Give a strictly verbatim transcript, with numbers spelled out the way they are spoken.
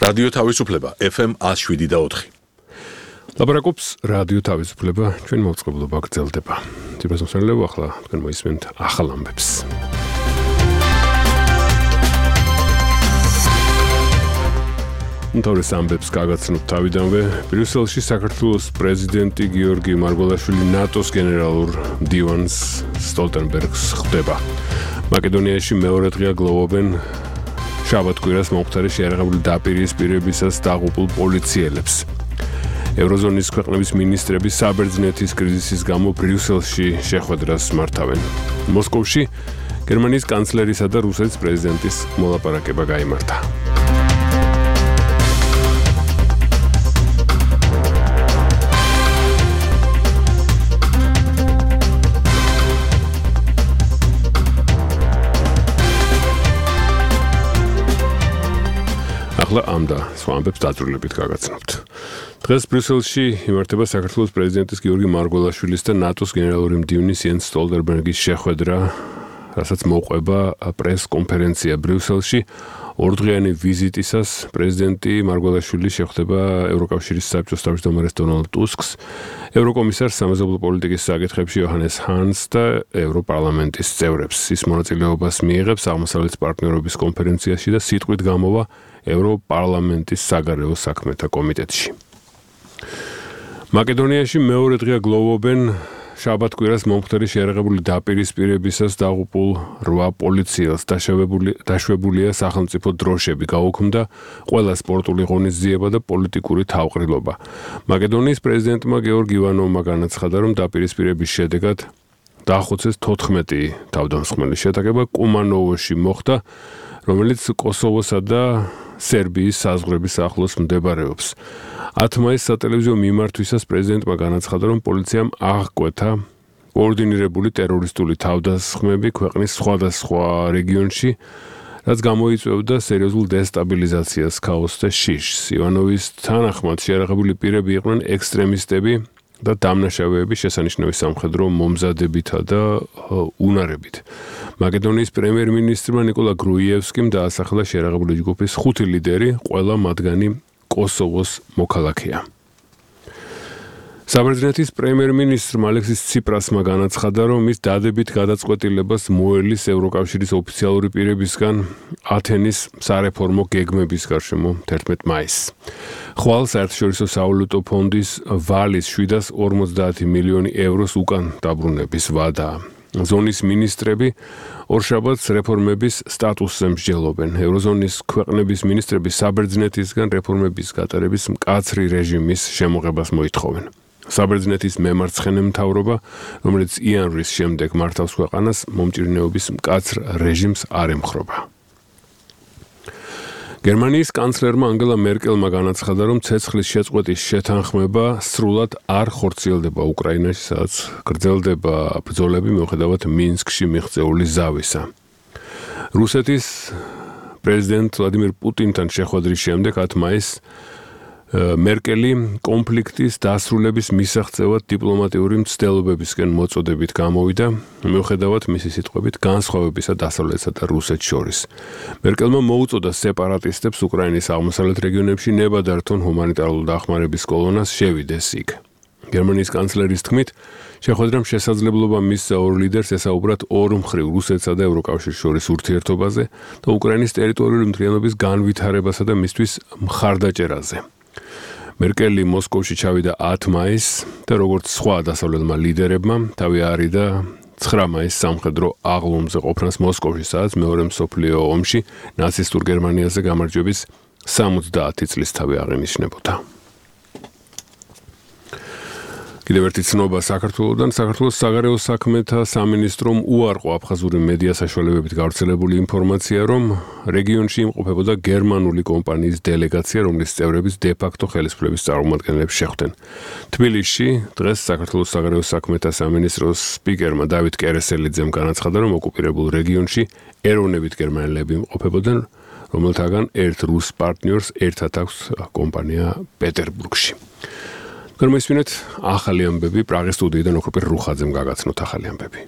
რადიო თავისუფლება ეფ ემ one oh seven და four. ლაპარაკობს რადიო თავისუფლება, ჩვენ მოწყობილობა გრძელდება. ძირას მოსვლელებ ახლა თქვენ მოისმენთ ახალ ამბებს. უმთავრეს ამბებს გაგაცნობთ თავიდანვე. ბრიუსელში საქართველოს პრეზიდენტი გიორგი მარგველაშვილი ნატოს გენერალურ მდივანს სტოლტენბერგს ხვდება. მაკედონიაში მეორე დღეა გლოვობენ შაბათ-კვირას მომხდარი შეიარაღებული დაპირისპირებისას დაღუპულ პოლიციელებს. ევროზონის ქვეყნების მინისტრები საბერძნეთის კრიზისის გამო ბრიუსელში შეხვედრას მართავენ. მოსკოვში გერმანიის კანცლერისა და რუსეთის პრეზიდენტის მოლაპარაკება გაიმართა. ახლა ამ და სხვა ამბებს დაწვრილებით გაგაცნობთ. დღეს ბრიუსელში იმართება საქართველოს პრეზიდენტის გიორგი მარგველაშვილის და ნატოს გენერალური მდივნის იენს სტოლტენბერგის შეხვედრა, რასაც მოყვება პრეს-კონფერენცია ბრიუსელში. ორდღიანი ვიზიტისას პრეზიდენტი მარგველაშვილი შეხვდება ევროკავშირის საბჭოს თავმჯდომარეს დონალდ ტუსკს, ევროკომისარს სამეზობლო პოლიტიკის საკითხებში იოჰანეს ჰანს და ევროპარლამენტის წევრებს. ის მონაწილეობას მიიღებს აღმოსავლეთის პარტნიორობის კონფერენციაში და სიტყვით გამოვა ევროპარლამენტის საგარეო საქმეთა კომიტეტში. მაკედონიაში მეორე დღეა გლოვობენ შაბათ-კვირას მომხდარი შეიარაღებული დაპირისპირებისას დაღუპულ რვა პოლიციელს. დაშვებულია სახელმწიფო დროშები, გაუქმდა ყველა სპორტული ღონისძიება და პოლიტიკური თავყრილობა. მაკედონიის პრეზიდენტმა გეორგ ივანოვმა განაცხადა, რომ დაპირისპირების შედეგად დაახოცეს თოთხმეტი თავდამსხმელის შეტაკება კუმანოვოში მოხდა, რომელიც კოსოვოსა და სერბიის საზღვრების ახლოს მდებარეობს. ათი მაისს სატელევიზიო მიმართვისას პრეზიდენტმა განაცხადა, რომ პოლიციამ აღკვეთა კოორდინირებული ტერორისტული თავდასხმები ქვეყნის სხვადასხვა რეგიონში, რაც გამოიწვევდა სერიოზულ დესტაბილიზაციას, ქაოსს და შიშს. ივანოვის თანახმად შეიარაღებული პირები იყვნენ ექსტრემისტები და დამნაშავეები შესანიშნავი სამხედრო მომზადებითა და უნარებით. მაკედონიის პრემიერ-მინისტრმა ნიკოლა გრუიევსკიმ დაასახელა შეიარაღებული ჯგუფის ხუთი ლიდერი, ყველა მათგანი კოსოვოს მოქალაქეა. საბერძნეთის პრემიერ-მინისტრმა ალექსის ციპრასმა განაცხადა, რომ მის დადებით გადაწყვეტილებას მოელის ევროკავშირის ოფიციალური პირებისგან ათენის სარეფორმო გეგმების გარშემო თერთმეტი მაისს. ხვალ საერთაშორისო სავალუტო ფონდის ვალის შვიდას ორმოცდაათი მილიონი ევროს უკან დაბრუნების ვადაა. ზონის მინისტრები ორშაბათს რეფორმების სტატუსზე მსჯელობენ. ევროზონის ქვეყნების მინისტრები საბერძნეთისგან რეფორმების გატარების მკაცრი რეჟიმის შემოღებას მოითხოვენ. საბერძნეთის მემარცხენე მთავრობა, რომელიც იანვრის შემდეგ მართავს ქვეყანას, მომჭირნეობის მკაცრ რეჟიმს არ ემხრობა. გერმანიის კანცლერმა ანგელა მერკელმა განაცხადა, რომ ცეცხლის შეწყვეტის შეთანხმება სრულად არ ხორციელდება უკრაინაში, სადაც გრძელდება ბრძოლები მიუხედავად მინსკში მიღწეული ზავისა. რუსეთის პრეზიდენტ ვლადიმირ პუტინთან შეხვედრის შემდეგ ათი მაისს მერკელი კონფლიქტის დასრულების მისაღწევად დიპლომატიური მცდელობებისკენ მოწოდებით გამოვიდა, მიუხედავად მისი სიტყვებით განსხვავებისა დასავლეთსა და რუსეთს შორის. მერკელმა მოუწოდა სეპარატისტებს უკრაინის აღმოსავლეთ რეგიონებში ნებადართონ ჰუმანიტარული დახმარების კოლონას შევიდეს იქ. გერმანიის კანცლერის თქმით, შეხვედრამ შესაძლებლობა მისცა ორ ლიდერს ესაუბრათ ორმხრივ რუსეთსა და ევროკავშირის შორის ურთიერთობაზე და უკრაინის ტერიტორიული მთლიანობის განვითარებასა და მისთვის მხარდაჭერაზე. მერკელი მოსკოვში ჩავიდა ათი მაისს და როგორც სხვა დასავლელმა ლიდერებმა თავი არიდა ცხრა მაისს სამხედრო აღლუმზე ყოფნას მოსკოვში, სადაც მეორე მსოფლიო ომში ნაცისტურ გერმანიაზე გამარჯვების სამოცდაათი წლისთავი აღინიშნებოდა. კიდევ ერთი ცნობა საქართველოდან. საქართველოს საგარეო საქმეთა სამინისტრომ უარყო აფხაზური მედია საშუალებებით გავრცელებული ინფორმაცია, რომ რეგიონში იმყოფებოდა გერმანული კომპანიის დელეგაცია, რომლის წევრების დე-ფაქტო ხელისუფლების წარმომადგენლებს შეხვდნენ. თბილისში დღეს საქართველოს საგარეო საქმეთა სამინისტროს სპიკერმა დავით კერესელიძემ განაცხადა, რომ ოკუპირებულ რეგიონში ეროვნებით გერმანელები იმყოფებოდნენ, რომელთაგან ერთ რუს პარტნიორს ერთად აქვს კომპანია პეტერბურგში. გორმოისმინეთ ახალი ამბები პრაღის სტუდიიდან ოქროპირ რუხაძემ გაგაცნოთ ახალი ამბები.